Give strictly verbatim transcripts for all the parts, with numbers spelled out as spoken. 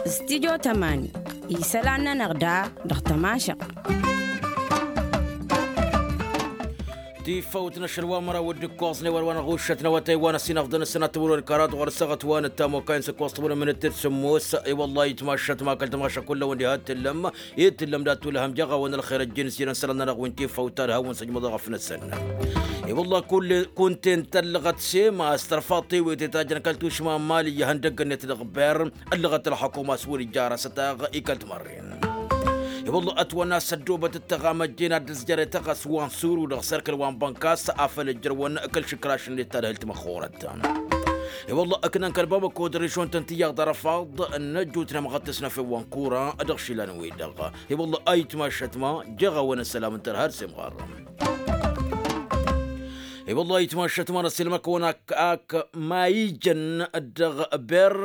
Stidyo tămani isălan-nănăɣ da dăɣ-tămašăɣt. Tifăwt n-ašăl wa măraw d-ǝkkoẓ n-ewăr wa n-aɣušăt n-awătay wa n-ăsinăɣ d-anăsănat tămăron karat ɣur-săɣăt wa n-ăttamokay n-săkkoẓ tămăron mănăt-dd sămmos. I-wălla itmašăt ma kăl-tămašăt kullăwăn diha t-tǝllăm i-tǝllăm dat-tulhăm jăɣ-awăn ălxer ăjjin s-jărăn sălan-nănăɣ wi n-tifăwt ta d-hawăn săjmăḍăɣ ăfnăsăn. I-wălla kull kunten tăllăɣăt sema a-s tărfaḍ tewete ta jăn kăl-tušma n-mali ihăndăgg-net dăɣ-ber. Ăllăɣăt ălxăkum a-s wăr-ija ar asătaɣ i-kăl-timărren. I-wălla ătwănna s-ăddoobăt d-tăɣamăjje n-ad-dd-ǝzjăret ăɣas wa n-suru dăɣ-serkăl wa n-bănkas afăl ǝjrăwăn kăl-išǝkraš-net ta d-hǝlt măxxurăt. I-wălla ǝknăn kăl-bamăko d-režon-tăn tiyyăḍ arăfaḍ n-ăjjutnem ɣăttăs n-efew wa n-kura dăɣ-išilan-wi-dăɣ. I-wălla a itmašăt ma jăɣ-awăn ăssălam n-tărha d-semɣar. I-wălla a itmašăt ma n-ăssilmăkăwăn ak ma ijăn dăɣ-ber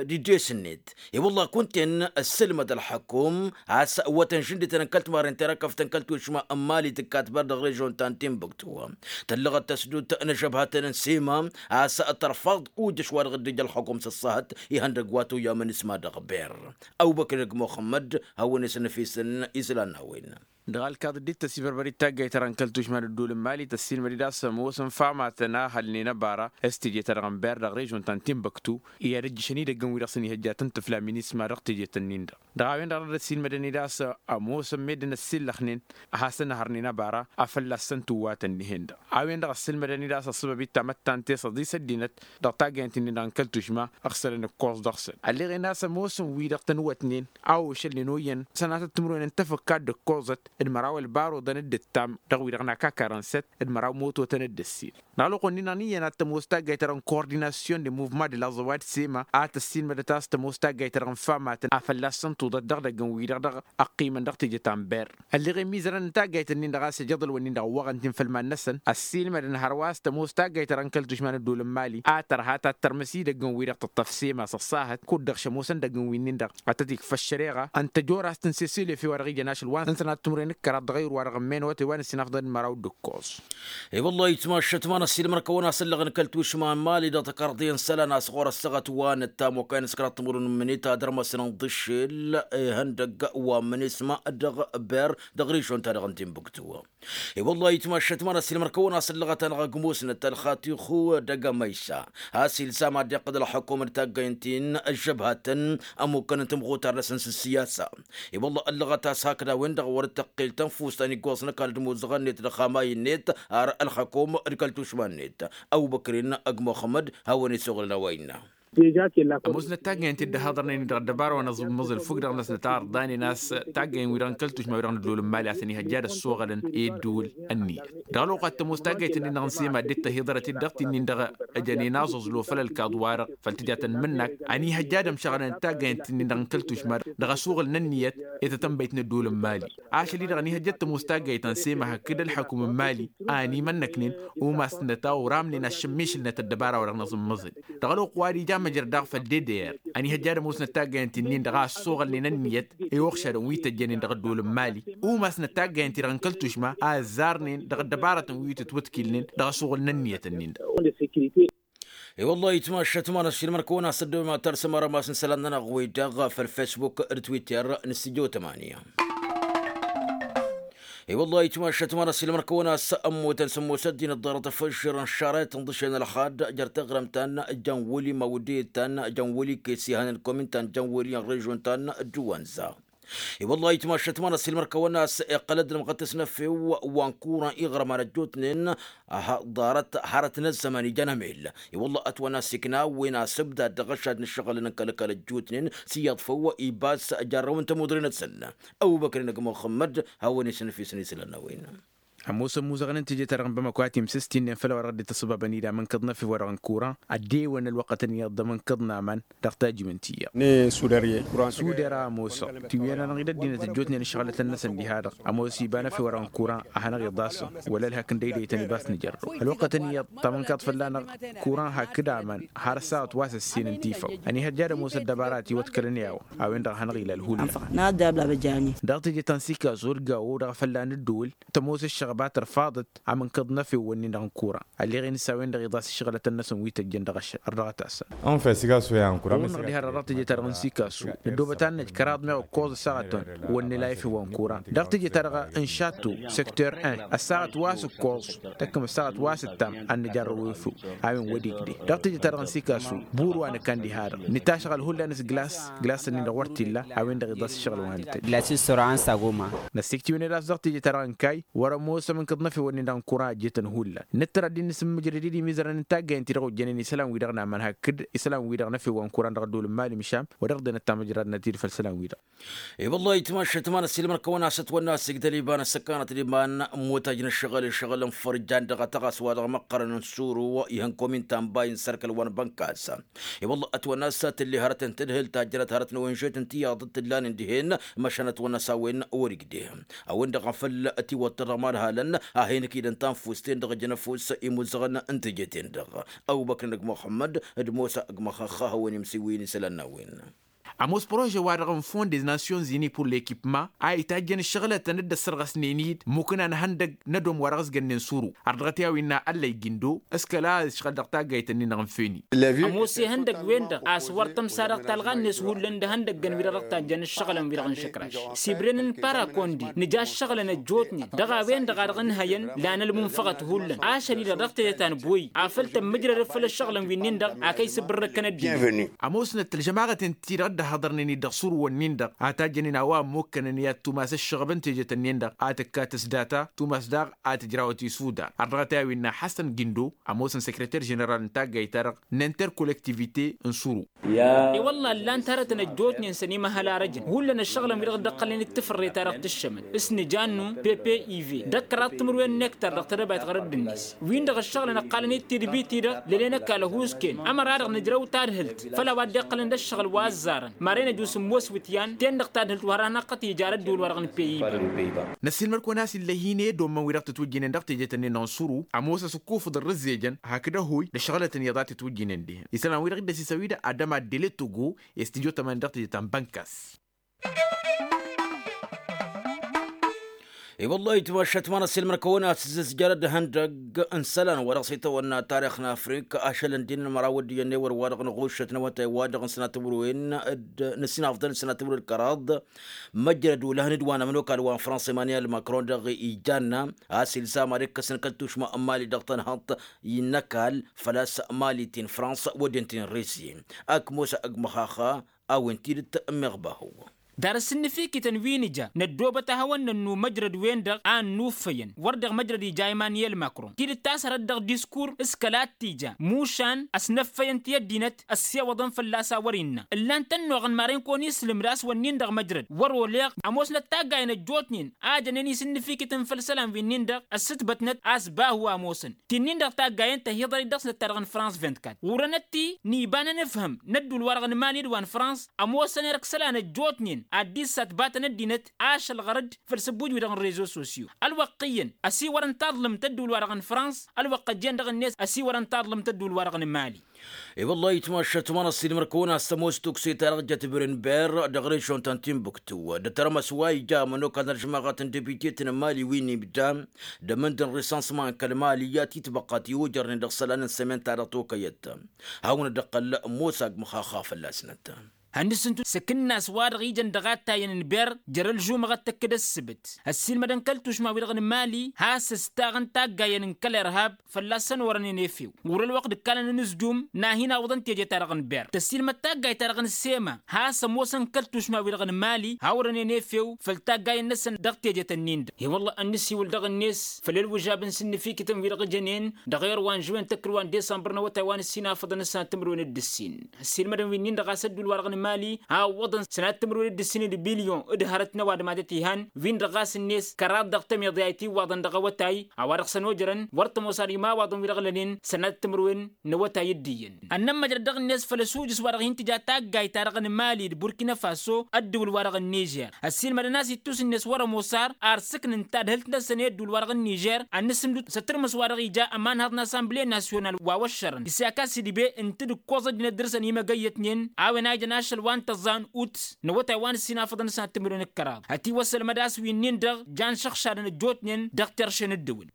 d-ides-net. I-wălla kunta-en ăssǝlmăd ălxăkum a-s wătăn žǝndităn n-kăl-timarren terăkăftăn kăl-tušma n-mali tǝkkat ber dăɣ-režon ta n-timbuktu. Tăllăɣăt tăsdut n-ažăbhătăn n-sima a-s tărfaḍ ujăš wa dăɣ-dd-ija ălxăkum s-ăṣṣahăt ihăndăgg wa toyya mănisma dăɣ-ber. Ăwbăkr-inăgg muxămmăd hawăn-isăn ăfisăn islan n-a-wen. Dăɣ-alkaḍ dd-ittăs ibărbăr-dd taggayt-ta-dăɣ n-kăl-tušma n-ădduul n-mali tăssiilmăd-dd a-s ămoos n-famatăn a hălnen ăbara s-teje-ta-dăɣ n-ber dăɣ-režon ta n-timbuktu i-ad-ǝjjǝšăn idăgg n-wi-dăɣ s-ănihăjja tăn-tǝfla minisma dăɣ-teje-tăn-in-dăɣ. Dăɣ-a-wen-dăɣ dăr-dd-ăssiilmădăn-dd a-s ămoosăn meddǝn ăssillăxnen ad-hasăn-hărnen ăbara a fălla-săn tǝwwatăn dihen-dăɣ. A-wen-dăɣ ăssiilmădăn-dd a-s ăṣṣăbăb ittamăttan tesăḍi s-ăddinăt dăɣ-taggaynt-nin-dăɣ n-kăl-tušma ăɣsălăn ǝkkoẓ dăɣ-săn ălleɣen a-s ămoosăn wi-dăɣ tăn-wătnen a ošălnen oyyăn sănatăt timǝrwen n-tafǝkka d-ǝkkoẓăt d-măraw ălbar oḍăn d-ǝttam dăɣ-wi-dăɣ n-akakar n-săt d-măraw mototăn d-ăssin. Dăɣ-ălwăqq-wen-nin-dăɣ n-iyyăn ad-tămoos taggayt-ta-dăɣ n-kordinasyon de muvma de la zăwad sema a tăssiilmădăt a-s tămoos taggayt-ta-dăɣ n-famatăn a fălla-săn tuḍăt dăɣ-idăgg n-wi-dăɣ dăɣ-ăqqiimăn dăɣ-teje ta n-ber. Ălleɣ i-mizărăn n-taggayt-nin-dăɣ a-s ijăḍălwăn-in-dăɣ ăwwăɣăn-t-in făll-iman-năsăn ăssiilmădăn hărwa a-s tămoos taggayt-ta-dăɣ n-kăl-tušma n-ădduul n-mali a tărha ta t-tărmǝs idăgg n-wi-dăɣ tǝṭṭăf sema s-ăṣṣahăt kud-dăɣ šămoosăn idăgg n-winnin-dăɣ ad-tăt-ikfa ăššăreɣa ǝnta jor a-s tǝnsesel efew wa dăɣ-ijăn ašăl wa n-sănat timǝrwen d-kăraḍ dăɣ-ayǝr wa dăɣ-ămmenăwăt i-wa n-ăssinafḍăn d-măraw d-ǝkkoẓ. I-wăllah itmašăt ma n-ăssiilmăr-kăwăn a-s ăllăɣăn kăl-tušma n-mali dăɣ-tăkarḍe n-isălan a-s ɣur-ăssaɣăt wa n-ăttam okăyăn s-kăraḍ timǝrwen n-imǝnit ad-ărmăsăn ǝnḍǝššel ihăndăgg wa n-imǝnisma dăɣ-ber dăɣ-režon-ta-dăɣ n-timbuktu. I-wăllah itmašăt ma n-ăssiilmăr-kăwăn a-s ăllăɣăt-anăɣ ăgg musnăt ălxatixu d-agămăysa a-s ilsam ad-iqqǝd ălxukum d-taggăynt-in ăžžăbhătăn ămmukkăn n-timɣutar-năsăn s-ǝssiyasa. I-wăllah ăllăɣăt a-s hakd a-wen-dăɣ wăr-dd-tăqqel tănfust a n-iggoẓ n-ăkall d-imuzăɣăn-net d-ăxxamay-net ar ălxukum d-kăl-tušma-net. Ăwbăkrin ăgg muxămmăd hawăn-isuɣǝlăn a-wa innă. Ămoosnăt taggăyăn-t-dd-ăhaḍărnen-in dăɣ-ăddăbara wa n-aẓǝmmăẓǝl făw-dăɣ-năsnăt a ărḍanen a-s taggăyăn-wi-dăɣ n-kăl-tušma-wi-dăɣ n-ădduul n-mali a-s ănihăjja ad-ăssoɣălăn i-ădduul ănniyăt. Dăɣ-ălwăqq a t-ămoos taggăyt-nin-dăɣ n-sema dd-tăhiḍărăt-dd dăɣ-t-nin-dăɣ ăjănen aẓẓǝẓlo făll-ălkaḍ-wa-dăɣ făll-tǝja tăn-mǝnnak ănihăjja ad-ămšăɣălăn taggăyăn-t-nin-dăɣ n-kăl-tušma dăɣ-ăsuɣǝl n-ănniyăt i-tătănbăyt n-ădduul n-mali. Ašăl-i-dăɣ ănihăjja ad-tămoos taggayt ta n-sema hakd ălxăkum n-mali a ănimănnăknen umasnăt a uramnen aššămmišǝlnăt ăddăbara-wa-dăɣ n-aẓǝmmăẓǝl. Dăɣ-ălwăqq wa d-ija măjrăd daɣ făll-dd-e-d-e-ăr ănihăjja ad-ămoosnăt taggăyăn-t-nin-dăɣ a ăssoɣălnen ănniyăt i-uɣšadăn wi tăjjănen dăɣ-ădduul n-mali. Umasnăt taggăyăn-t-dăɣ n-kăl-tušma a ăzzarnen dăɣ-ăddăbarătăn wi tǝtwǝtkilnen dăɣ-asuɣǝl n-ănniyăt-nin-dăɣ. I-wăllah itmašăt ma n-ăssiilmăr-kăwăn a-s ăddoobem ad-tarsăm arămas n-isălan-nănăɣ wi-dăɣ făll-fesbuk d-twitter n-sijjo tămanya. I-wăllah itmašăt ma n-ăssiilmăr-kăwăn a-s ămmutăn sămmos ăddinăt ḍarăt ăfăžžărăn šarăyăt ǝnḍǝšen ălxad jer-taɣrǝmt ta n-jăn wăli mawdiyăt ta n-jăn wăli kesi hanăn komin ta n-jăn wăli n-režon ta n-dăwănza. I-wăllah itmašăt ma n-ăssiilmăr-kăwăn a-s iqqăl ăddinămɣăt s-năfew wa n-kuran iɣrăman ăjjootnen. Aha ḍarăt hărăt n-ăzzăman ijăn amel. I-wăllah ătwănna s-ikna a-wen asǝbdad dăɣ-ăššad n-ǝššăɣǝlăn n-kăl-ăkall ăjjootnen s-iyyăḍ făw ibas jarrăw n-tămudre-năsăn. Ăbubăkr-inăgg muxămmăd hawăn-isăn ăfisăn isălan n-a-wen. Ămoosăn muzăɣăn n-teje-ta-dăɣ n-bamăko a timsǝst-in-nen făll-a-wa dăɣ-dd-tăṣṣăbabăn-dd amǝnkăḍ n-efew-wa-dăɣ n-kuran ăddewăn ălwăqqătăn iyyăḍ d-amǝnkăḍ n-aman. Dăɣ-tajǝm n-tiyyăḍ. Sudăr i-ăsudăr a ămoosăɣ tiwǝyăn-anăɣ-dd ăddinăt ăjjootnen ǝššăɣǝlătăn-năsăn diha-dăɣ ămoos iba n-efew-wa-dăɣ n-kuran a hanăɣ-iḍasăn wăla ălhăk n-dăydăytăn ibas nǝjărrăw ălwăqqătăn iyyăḍ tamǝnkaḍt fălla-năɣ. Kuran hakd aman har ăssawăt wa s-ăssin n-tifăw ănihăjja ad-ămoos ăddăbara a tiwăḍkălăn i-a-wa a-wen-dăɣ a hanăɣ-ila ălhullan. Dăɣ-teje ta n-sikaẓ wăr gawo dăɣ-afălla n-ǝddǝwǝl tămoos. Ăbatăr faḍăt am ǝnkăḍ n-efew-wǝnnin-dăɣ n-kura ălleɣ-in s-a-wen-dăɣ iḍas ǝššăɣǝlătăn-năsăn wi tăjjăn dăɣ-ašăl ărdăɣăt-asăn. Ănfes iga s-oya n-kura. Ăwwănnăɣ diha-dăɣ dăɣ-teje-ta-dăɣ n-sikasu năddoobăt ad-năj kăraḍ meɣ ǝkkoẓ ăssaɣătăn wăr nǝla efew wa n-kura. Dăɣ-teje-ta-dăɣ n-šattu, secteur un, ăssaɣăt wa s-ǝkkoẓ tăkkăm ăssaɣăt wa s-ǝttam ad-nǝjarrăw efew. A-wen wăr-igdeh dăɣ-teje-ta-dăɣ n-sikasu. Bur wa nǝkan diha-dăɣ nǝtašɣăl hullan s-glas glas-nin-dăɣ wăr t-illa. A-wen-dăɣ iḍas ǝššăɣǝl wa nǝtăjj. Glas-i s-săro a n-sagoma. Năssiktǝwăn-dd a-s dăɣ-teje-ta-dăɣ n-kayy wăr-ămoosăm ǝnkăḍ n-efewăn-in-dăɣ n-kuran ăjjeetăn hullan. Nǝttăr ad-dd-nǝsǝmmǝjrăd i-dd imizărăn n-taggayen-ti-dăɣ ojjănen isălan-wi-dăɣ n-amănhăk d-isălan-wi-dăɣ n-efew wa n-kuran dăɣ-ădduul n-imali măšan. Wăr-dăɣ-dd-enăt tamǝjradnăt-dd făll-isălan-wi-dăɣ. I-wăllah itmašăt ma n-ăssiilmăr-kăwăn a-s ătwănna a-s igdăl iba n-ăssăkanăt d-iba n-immutăj n-ăššăɣǝl ǝššăɣǝl n-fărja n-dăɣ-atăɣas wa dăɣ-măqqărăn n-suru ihăn komin tambay n-sărkăl wa n-bănkas. I-wăllah ătwănna a-s tǝlli hărăt n-tadhǝlt ta jărăt hărăt n-ăwănžet n-tiyyăḍ t-ǝllanen dihen. Măšan ătwănna a-s a-wen wăr-igdeh a-wen-dăɣ a făl tiwăḍ-tăr dăɣ-imadhalăn a hin-ăkidăn tanfust-en-dăɣ ǝjăn ăfuss imuzăɣăn n-teje-ten-dăɣ. Ăbubăkr n-ăgg muxămmăd d-mosa ăgg măxăxxa a hawăn-imsiwǝyăn isălan n-a-wen. Ămoos prože wa dăɣ-n fond des nations unies pour lekipma a itajjăn ǝššăɣǝlătăn dd-ăssărɣăsnen-dd mukǝna n-ihăndăg n-ădom wa dăɣ-s gănnen suru. Ărdăɣăt i-a-wa innă ăllăy gindo s-kăla ăšɣăl dăɣ-taggayt-nin-dăɣ n-feni. Ămoos ihăndăg-wen-dăɣ a-s wăr tămsa dăɣ-talɣa-net hullan d-ihăndăgg-ăn-wi-dăɣ dăɣ-tajjăn ǝššăɣǝlăn-wi-dăɣ n-išǝkraš sibren n-parakondi nǝja ǝššăɣǝlăn ăjjootnen dăɣ-a-wen-dăɣ a dăɣ-ǝnhăyăn. Lan ălmunfăɣăt hullan ašăl-i-dăɣ dăɣ-tejăt ta n-boy a făl tămmǝjrădăd făll-ăššăɣǝlăn wi-nin-dăɣ a kăy-sǝbǝrrǝkkăn ăddinăt. Ămoosnăt ălžămaɣăten-ti-dăɣ dd-ăhhăḍărnen-dd dăɣ-surǝwăn-nin-dăɣ a tajjănen a-wa ămmukkănăn i-ad-tumas ǝššăɣăb n-tejăt-nin-dăɣ a tǝkkat s-data tumas daɣ a tǝjrawăt i-sudan. Ărdăɣăt i-a-wa innă ḥăsăn gindo ămoosăn săkrăter ženeral n-taggayt-ta-dăɣ n-interkolektivite n-suru. I-wălla ǝllan-t hărătăn ăjjootnen săn imăhăl arăjăn hullan ăššăɣǝlăn-wi-dăɣ dd-ăqqălnen d-tafărre-ta-dăɣ tǝššămăn s-nǝjannu pepe ive d-ăkkăraḍ timǝrwen n-ektar dăɣ-tedăbayt ɣărădd-net. Win-dăɣ ǝššăɣǝlăn ăqqalăn-dd tidbit-i-dăɣ lălen ăkall ăhuusken ămăra-dăɣ nǝjrăw tadhǝlt făll-a-wa dd-iqqălăn d-ăššăɣǝl wa ăzzarăn maren ăjus n-imoswǝtyan ten-dăɣ tadhǝlt wa har a hanăɣ-tăt-ija ar ădduul-wa-dăɣ n-peyiba. Năssiilmăr-kăwăn a-s illa hin-e-dd ommăn-wi-dăɣ tǝtwǝjjǝynen dăɣ-teje-tăn-in-dăɣ n-suru ămoos ăsǝkkufǝḍ ărrǝzzejăn hakd ăhoy d-ăššăɣǝlătăn iyyăḍ a tǝtwǝjjǝynen dihen isălan-wi-dăɣ dd-ăsisăn wi-dăɣ adăma d-delet togo. I-s tǝjotămăn dăɣ-teje ta n-bănkas. I-wăllah itmašat ma n-ăssiilmăr-kăwăn a-s ǝzzǝzjarăd ihăndăgg n-isălan wa dăɣ-s itawănna tarix n-afrika ašăl ǝndin n-măraw d-iyyăn ewăr wa dăɣ-năɣuššăt n-awătay wa dăɣ-nǝsnat timǝrwen d-nǝssinafḍăn d-sănat timǝrwen d-kăraḍ. Măjrăd ulăhăn d-wa n-ămănokal wa n-fransa emmanuel macron dăɣ-ijanna a-s ilzam ad-ikkăsăn kăl-tušma n-mali dăɣ-tănhăḍt. Innăkal făl-a-s mali ti n-fransa wădden ti n-risi. Ak musa ăgg măxaxa a-wen tidǝt meɣ bahu. Dar ăsǝnnǝfikităn wi nǝja năddoobăt a hawăn-nănnu măjrăd-wen-dăɣ a ănnuffăyăn wăr deɣ măjrăd ija emmanuel macron tidǝt ta s-hărăt dăɣ-diskur s-kăla t-ija mušan ăsnăffăyăn ti ăddinăt. Ăssewăḍăn fălla-s a wăr-innă ǝllan-t ănnuɣăn maren kăwăn-islǝm d-a-s wănnin-dăɣ măjrăd wăr-oleɣ. Ămoosnăt taggayen ăjjootnen a jănen isǝnnǝfikităn făll-isălan wi-nin-dăɣ ăssǝtbătnăt a-s bahu a ămoosăn ti-nin-dăɣ taggayen tăhiḍărit dăɣ-snăt ta dăɣ-nǝfrans vint-kat urănăt-i n-iba n-anǝfhǝm n-ădduul-wa-dăɣ n-mali d-wa n-frans. Ămoosăn erk isălan ăjjootnen ad-dd-issatbatăn ăddinăt ašăl ɣărăd făll-sǝbbuj-wi-dăɣ n-rezo sosyo. Ălwăqq-iyyăn ăsiwărăn taḍlǝmt ădduul-wa-dăɣ n-frans ălwăqq ăjjeen dăɣ-net ăsiwărăn taḍlǝmt ădduul-wa-dăɣ n-mali. I-wăllah itmašat ma n-ăssiilmăr-kăwăn a-s tămoos tukse-ta-dăɣ jăt bren ber dăɣ-režion ta n-timbuktu d-tărmăs wa ija ămănokal n-ălžămaɣăt n-debitet n-mali wi n-ibda d-amǝnd n-risansman kăl-mali i-ad-t-itbăqqăt i-ojărnen dăɣ-isălan n-sămen-ta-dăɣ tokăyăt. Hawăn-dd-ăqqăl musa ăgg măxaxa fălla-snăt. Hannǝsǝntu s-akǝnnas wa-dăɣ ijăn dăɣ-attayăn n-ber jer-ălžumăɣăt tăkk-dd ăssǝbǝt ăssiilmădăn kăl-tušma-wi-dăɣ n-mali has-ǝstaɣăn taggayen n-kăl-irhab fălla-săn orănen efew. Ɣur-ălwăqq d-ǝkkalăn anǝzjum n-ad-hin-awǝḍăn teje-ta-dăɣ n-ber tăssiilmăd taggayt-ta-dăɣ n-sema has-ămoosăn kăl-tušma-wi-dăɣ n-mali ha orănen efew făll-taggayen-năsăn dăɣ-tejet-ǝnnin-dăɣ. I-wălla ad-nǝsiwǝl dăɣ-net făll-ălwǝžab n-sǝnnǝfikităn-wi-dăɣ jănen dăɣ-erwa n-žwen tăkkǝlwa n-disămbăr n-awătay wa n-ǝssinafăḍăn s-sănat timǝrwen d-ǝssin. Ăssiilmădăn wi-nin-dăɣ a-s ădduul-wa-dăɣ n-mali ha ǝwwăḍăn sănat timǝrwen d-ǝssin d-bilyon d-hărăt n-ăwadǝm ad-ătihăn win-dăɣ ɣas-net kăraḍ dăɣ-tămiḍe a itǝwwaḍăn dăɣ-awătay a-wa dăɣ-săn ojărăn wăr tămoos ar imawaḍăn wi-dăɣ lănen sănat timǝrwen n-awătay d-iyyăn. Ănnămmăjrăd dăɣ-net făll-asujǝs wa dăɣ-hin-tǝja taggayt-ta-dăɣ n-mali d-burkina faso ăddǝwǝl-wa-dăɣ n-nižer ăssiilmădăn a-s ittus-net wăr-ămoos ar ar sǝknǝn tadhǝlt-năsăn i-ăddǝwǝl-wa-dăɣ n-nižer ad-nǝsǝmdǝw s-atǝrmǝs wa dăɣ-ija ămanhăḍ n-assemble national wa wăššărăn isaka s-idbe ǝnta d-ǝkkoẓ ăddinăt dăr-săn imăgăyyătnen a-wen a ijăn ašăl. Ašăl wa n-tăẓẓa n-ut n-awătay wa n-ǝssin afăḍăn s-ad-tǝmǝrwen d-kăraḍ hătiwăssălmăd a-s wi-nin-dăɣ jan šăɣšadăn ăjjootnen dăɣ-terše n-ǝddǝwǝl.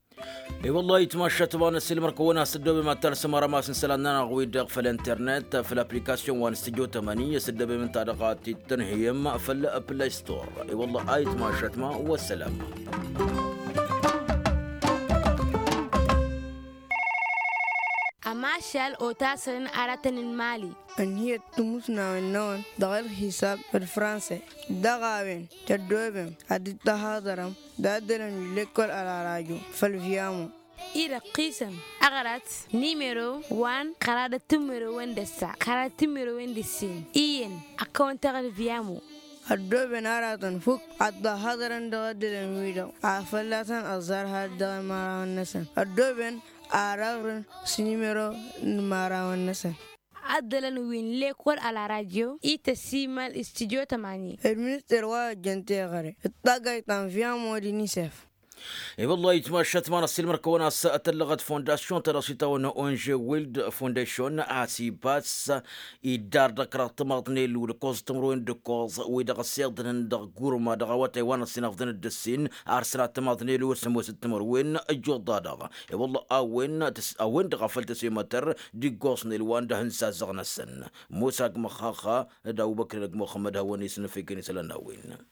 I-wălla a itmašat ma n-ăssiilmăr-kăwăn a-s ǝddobem ad-talsăm arămas n-isălan-nănăɣ-wi-dăɣ făll-internet făll-application wa n-studio tămani a-s ǝddobem ǝnta-dăɣ a t-tǝnhǝyăm făll-play store. I-wălla a itmašat ma wăssălam. Ămašal otasăn aratăn n-imali. Ǝnhǝyăt timusnawen-năwăn dăɣ-ălxisab d-franse. Dăɣ-a-wen tăddobem ad-dd-tăhaḍărăm d-addălăn wi n-lekkol ălarajo făll-vyamo. I-dăɣ qisăn aɣrat nimero wa n-kăraḍăt timǝrăwen d-ăssa kăraḍăt timǝrăwen d-ǝssin iyyăn ad-kăwăn-taɣǝl vyamo. Ăddooben aratăn fukk ad-dd-ăhaḍărăn dăɣ-addălăn-wi-dăɣ a fălla-săn ăẓẓar had-dăɣ-imărawăn-năsăn ăddooben ar ăɣrǝn s-nimero n-imărawăn-năsăn. Addălăn wi n-lekol ălarajo ităsimal s-tidyo tămani. Ălminister wa ăjjăn teɣăre d-taggayt ta n-vyamo d-inisef. I-wăllah itmašat ma n-ăssiilmăr-kăwăn a-s tăllăɣăt fondasyon-ta-dăɣ s-itawănna onže wild fondasyon a-s ibass iddar dăɣ-kăraḍ timaḍnen wi d-ǝkkoẓ timǝrwen d-ǝkkoẓ wi-dăɣ ăssiḍnen dăɣ-gurma dăɣ-awătay wa n-ăssinăfḍăn d-ǝssin ar sănat timaḍnen wi s-ămoos d-timǝrwen. Ǝjjuḍ-da-dăɣ i-wăllah a-wen a-wen-dăɣ a făl tăsemătăr d-iggoẓnen wa n-dăhǝn s-azăɣ-năsăn. Mosa g-măxxaxa d-abubăkr n-ăgg muxămmăd hawăn-isǝnnǝfekăn isălan n-a-wen.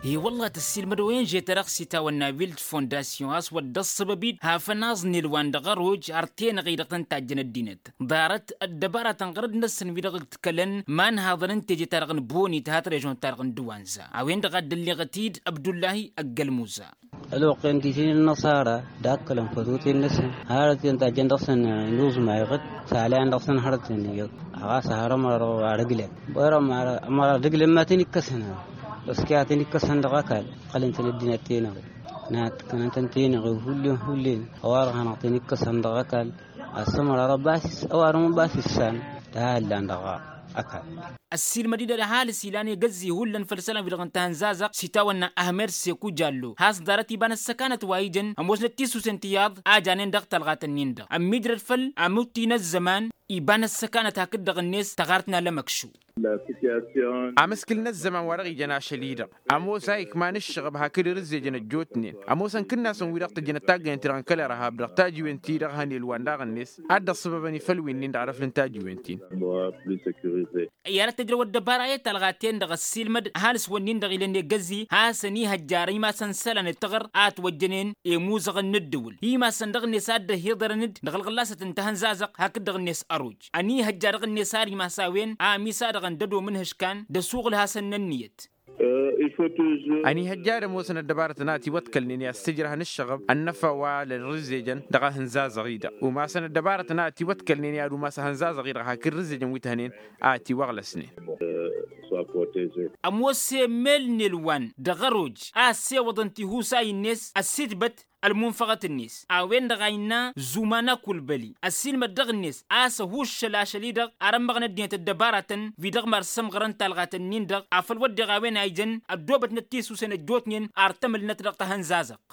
I-wăllah tăssiilmăd-awen žet-dăɣ s-itawănna wild fondasyon a-s wăr dd-ăṣṣăbăb-dd hafăn aẓnel wa n-dăɣ-ăroj ar tenăɣ-i-dăɣ tăn-tajjăn ăddinăt ḍarăt ăddăbaratăn ɣărăd-năsăn wi-dăɣ ǝkd kălăn ma n-haḍăn n-teje-ta-dăɣ n-bonit hat-režon-ta-dăɣ n-dăwanza a-wen-dăɣ a dd-ălleɣăt-dd abdullahi ăggălmuza. Ălwăqq-en diten ănnăṣara d-akkălăn fătoten-năsăn hărăt-en tajjăn dăɣ-săn inuẓma iɣǝd s-alăyan dăɣ-săn hărăt-en iyyăḍ. Ɣas har ămăra dăɣ-wa ar ǝglen bărăm ămăra d-ǝglen ma tăn-ikkăsăn. Ăskăy a tăn-ikkăsăn dăɣ-ăkall ǝqqălăn-tăn ăddinăt tenăɣe. Năhătkănăn-tăn tenăɣe hullen hullen ăwarăn hanăɣ-tăn-ikkăsăn dăɣ-ăkall. Ăssămăra dăɣ-basis ăwarăn basis san. Tăhallan dăɣ-ăkall. Ăssiilmăd-i-dăɣ d-ăhalǝs ilan egăzzi hullan făll-isălan-wi-dăɣ n-tahănzazăɣt s-itawănna ahmed seku jallo has-ḍarăt iba n-ăssăkanăt wa ijăn ămoosnăt tisusen tiyyăḍ a janen dăɣ-talɣat-ǝnnin-dăɣ ămmiijrăd făll-amutti n-ăzzăman iba n-ăssăkanăt hakd-dăɣ-net tăɣart n-alămăkšu. Amǝskǝl n-ăzzăman wa dăɣ-ijăn ašăl-i-dăɣ ămoos a ikman ǝššăɣăb hakd irǝzzejăn ăjjootnen ămoosăn kǝnnasăn-wi-dăɣ tăjjănăt taggăyăn-ti-dăɣ n-kăl-irhab dăɣ-tajiwen-ti-dăɣ hănel wa n-daɣ-net ad-dd-ăṣṣăbăbăn i-făll-winnin dăɣ-arăfl n-tajiwen-tin. Iyyăr ad-tăjrăw ăddăbara i-talɣa-ten-dăɣ ăssiilmăd ăhalǝs-wǝnnin-dăɣ ilăn egăzzi hasăn-ihăjjar imasăn isălan d-taɣăr a ătwăjjănen i-imuzăɣăn n-ǝddǝwǝl i-imasăn dăɣ-net a dd-ăhiḍărăn-dd dăɣ-ălɣăllasăt n-tahănzazăɣt hakd dăɣ-net ăroj ănihăjja dăɣ-net ar imas a-wen a ămisadăɣăn d-ădom n-ihǝškan d-ăsuɣǝl hasăn-nănniyăt. Ănihăjja ad-ămoosăn ăddăbarătăn a ătiwăḍkălnen i-ad-sǝjrăhăn ǝššăɣăb ănnăfa wa lărǝzzejăn dăɣ-ahǝnzazăɣ-i-dăɣ umasăn ăddăbarătăn a ătiwăḍkălnen i-ad-umas ahǝnzazăɣ-i-dăɣ hakd rǝzzejăn wi t-hănen a ătiwăɣlăsnen. Ămoos i-mel n-elwan dăɣ-ăroj a ăssewăḍăn tihusay-net ăssitbăt ălmunfăɣăt-net a-wen-dăɣ a innă zumana kulbăli ăssiilmăd dăɣ-net a-s ăhuššăl ašăl-i-dăɣ ar ămmăɣăn ăddinăt ăddăbaratăn wi dăɣ-mad-sămɣărăn talɣat-ǝnnin-dăɣ afăl wădden a-wen a ijăn ăddoobătnăt tisusen ăjjootnen ar tămǝlnăt dăɣ-tahănzazăɣt.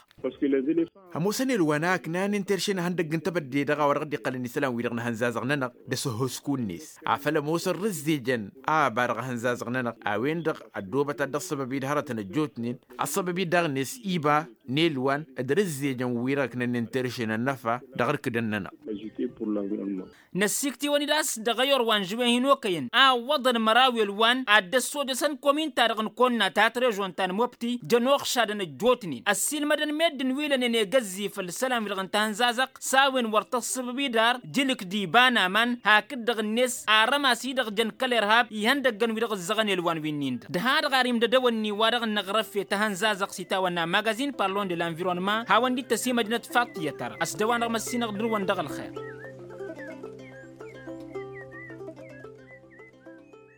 Ămoosăn elwan a ǝknanen terše n-ihăndăgg n-tebădde-dăɣ a-wa dăɣ-dd-iqqălăn isălan-wi-dăɣ n-ahănzazăɣ-nănăɣ d-asăhhosku-net afăl ămoosăn rǝzzejăn a ăba dăɣ-ahănzazăɣ-nănăɣ a-wen-dăɣ ăddoobăt ad-dd-ăṣṣăbăb-dd hărătăn ăjjootnen. Ăṣṣăbăb-dd daɣ-net iba n-elwan d-rǝzzejăn wi-dăɣ ǝknănnen terše n-ănnăfa dăɣ-irkǝdăn-nănăɣ. Năssikt'-iwăn-dd a-s dăɣ-ayor wa n-žăwen hin-okăyăn a ǝwwăḍăn măraw elwan ad-dd-ăssojăsăn komin-ta-dăɣ n-konna ta t-režon ta n-mobti jăn oxšadăn ăjjootnen ăssiilmădăn meddǝn wi lănen egăzzi făll-isălan-wi-dăɣ n-tahănzazăɣt s-a-wen wăr tăssǝbăb idar jǝlǝk d-iba n-aman hakd-dăɣ-net arrămas-i-dăɣ jăn kăl-irhab ihăndăggăn wi-dăɣ ǝzzăɣăn elwan wi-nin-dăɣ d-ha-dăɣ ar imdădăwănni wa dăɣ-năɣrăf i-tahănzazăɣt s-itawănna magazin parlon de l-anvironnăma hawăn-dd-tăsimăjnăt faṭṭiyăt-ta-dăɣ ăsdăwanăɣ măssinăɣ dăr-wăn dăɣ-ălxer.